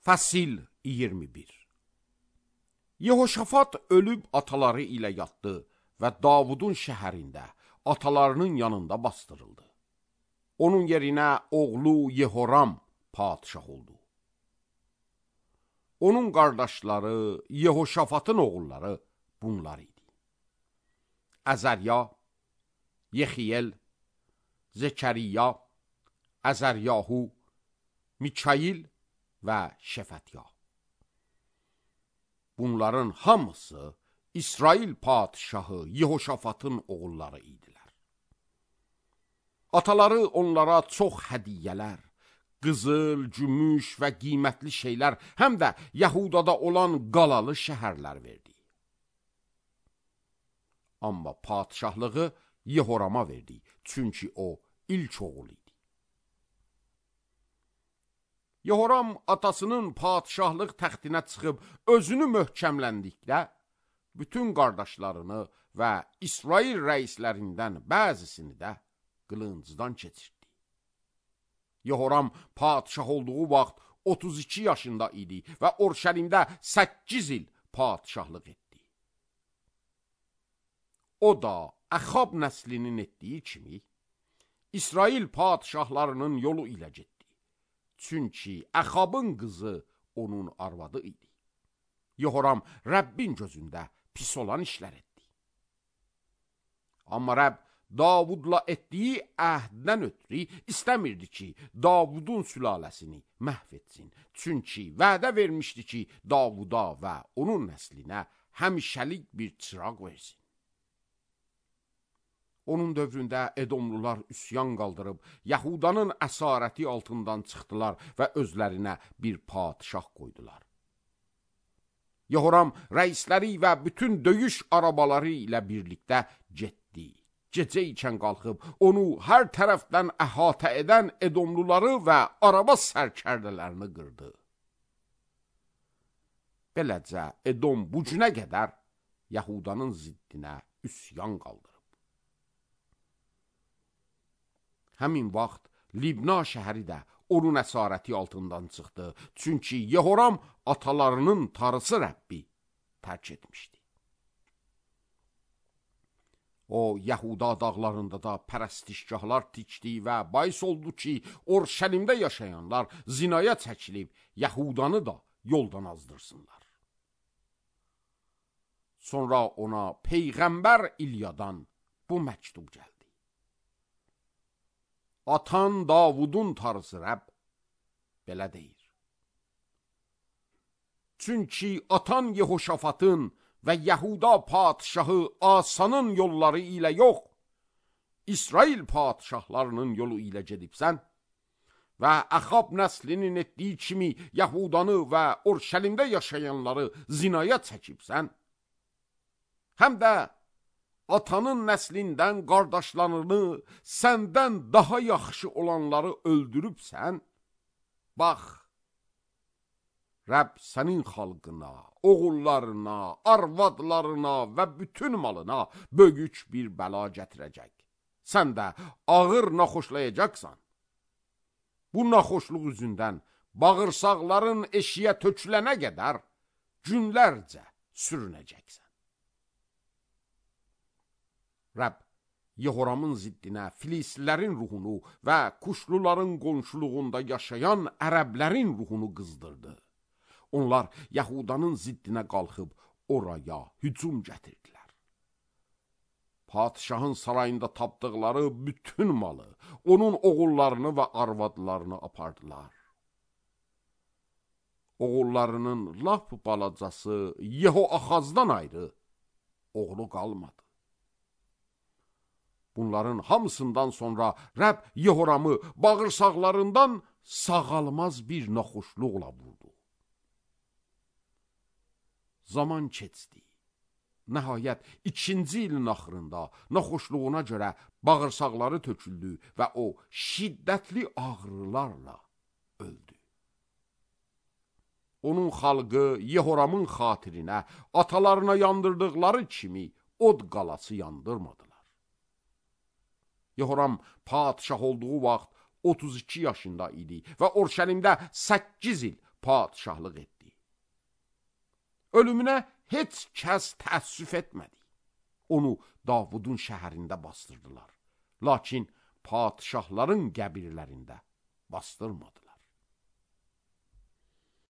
Fəsil 21. Yehoşafat ölüb ataları ilə yatdı və Davudun şəhərində, atalarının yanında bastırıldı. Onun yerinə oğlu Yehoram padişah oldu. Onun qardaşları, Yehoşafatın oğulları bunlar idi: Əzərya, Yexiyel, Zekəriya, Əzəryahu, Mikail və Şefətya. Bunların hamısı İsrail padişahı Yehoşafatın oğulları idilər. Ataları onlara çox hədiyyələr, qızıl, gümüş və qiymətli şeylər, həm də Yahudada olan qalalı şəhərlər verdi. Amma padişahlığı Yehorama verdi, çünki o ilk oğul idi. Yehoram atasının padişahlıq təxtinə çıxıb özünü möhkəmləndikdə, bütün qardaşlarını və İsrail rəislərindən bəzisini də qılıncdan keçirdi. Yehoram padişah olduğu vaxt 32 yaşında idi və Orşəlimdə 8 il padişahlıq etdi. O da Əxab nəslinin etdiyi kimi İsrail padişahlarının yolu ilə getdi. Çünki Əxabın qızı onun arvadı idi. Yehoram Rəbbin gözündə pis olan işlər etdi. Amma Rəbb Davudla etdiyi əhddən ötürü istəmirdi ki, Davudun sülaləsini məhv etsin. Çünki vədə vermişdi ki, Davuda və onun nəslinə həmişəlik bir çıraq versin. Onun dövründə Edomlular üsyan qaldırıb, Yahudanın əsarəti altından çıxdılar və özlərinə bir padişah qoydular. Yehoram rəisləri və bütün döyüş arabaları ilə birlikdə getdi. Gecə ikən qalxıb, onu hər tərəfdən əhatə edən Edomluları və araba sərkərdələrini qırdı. Beləcə, Edom bu günə qədər Yahudanın ziddinə üsyan qaldırıb. Həmin vaxt Libna şəhəri də onun əsarəti altından çıxdı. Çünki Yehoram atalarının tarısı Rəbbi tərk etmişdi. O, Yahuda dağlarında da pərəstişgahlar tikdi və bais oldu ki, Orşəlimdə yaşayanlar zinaya çəkilib, Yahudanı da yoldan azdırsınlar. Sonra ona Peyğəmbər İlyadan bu məktub gəldi. Atan Davudun tarısı Rəbb belə deyir: Çünki atan Yehoşafatın və Yahuda padişahı Asanın yolları ilə yox, İsrail padişahlarının yolu ilə gedibsən və Əxab nəslinin etdiyi kimi Yahudanı və Orşəlimdə yaşayanları zinaya çəkibsən, həm də atanın nəslindən qardaşlarını səndən daha yaxşı olanları öldürübsən, bax, Rəbb sənin xalqına, oğullarına, arvadlarına və bütün malına böyük bir bəla gətirəcək. Sən də ağır naxoşlayacaqsan. Bu naxoşluq üzündən bağırsaqların eşiyə tökülənə qədər günlərcə sürünəcəksən. Rəbb Yehoramın ziddinə Filislilərin ruhunu və Kuşluların qonşuluğunda yaşayan ərəblərin ruhunu qızdırdı. Onlar Yahudanın ziddinə qalxıb oraya hücum gətirdilər. Padişahın sarayında tapdıqları bütün malı, onun oğullarını və arvadlarını apardılar. Oğullarının lap balacası Yehoaxazdan ayrı oğlu qalmadı. Bunların hamısından sonra Rəbb Yehoramı bağırsaqlarından sağalmaz bir naxoşluqla vurdu. Zaman keçdi. Nəhayət, 2-ci ilin axırında naxoşluğuna görə bağırsaqları töküldü və o şiddətli ağrılarla öldü. Onun xalqı Yehoramın xatirinə atalarına yandırdıqları kimi od qalası yandırmadılar. Yehoram padişah olduğu vaxt 32 yaşında idi və Orşəlimdə 8 il padişahlıq etdi. Ölümünə heç kəs təəssüf etmədi. Onu Davudun şəhərində bastırdılar. Lakin padişahların qəbirlərində bastırmadılar.